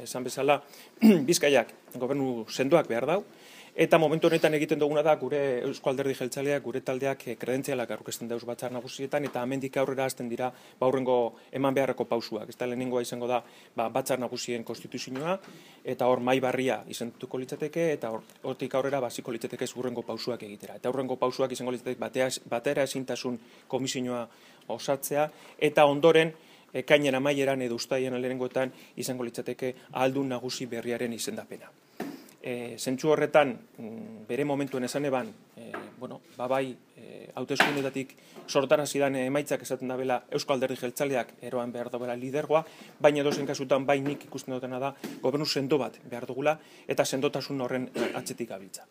esan bezala, Bizkaiak gobernu sendoak behar dau, eta momentu honetan egiten duguna da gure Eusko Alderdi Jeltzaleak, gure taldeak kredentzialak aurkezten dauz batzar nagusietan, eta hemendik aurrera hasten dira aurrengo eman beharreko pausuak. Ez da lehenengoa izango da batzar nagusien konstituzioa, eta hor mai barria izentuko litzateke, eta hortik aurrera basiko litzateke hurrengo pausuak egitera. Eta hurrengo pausuak izango litzateke batera ezintasun komisioa osatzea, eta ondoren ekainen amaieran edo uztailean lehenengoetan izango litzateke ahaldun nagusi berriaren izendapena. Zentzu horretan, bere momentuen esan eban, bai, hauteskundeetatik sortarazi dan emaitzak esaten dabela Eusko Alderdi Jeltzaleak eroan behar dabela lidergoa, baina edozein kasutan bai nik ikusten dutena da gobernu sendo bat behar dugula eta sendotasun horren atzetik gabiltza.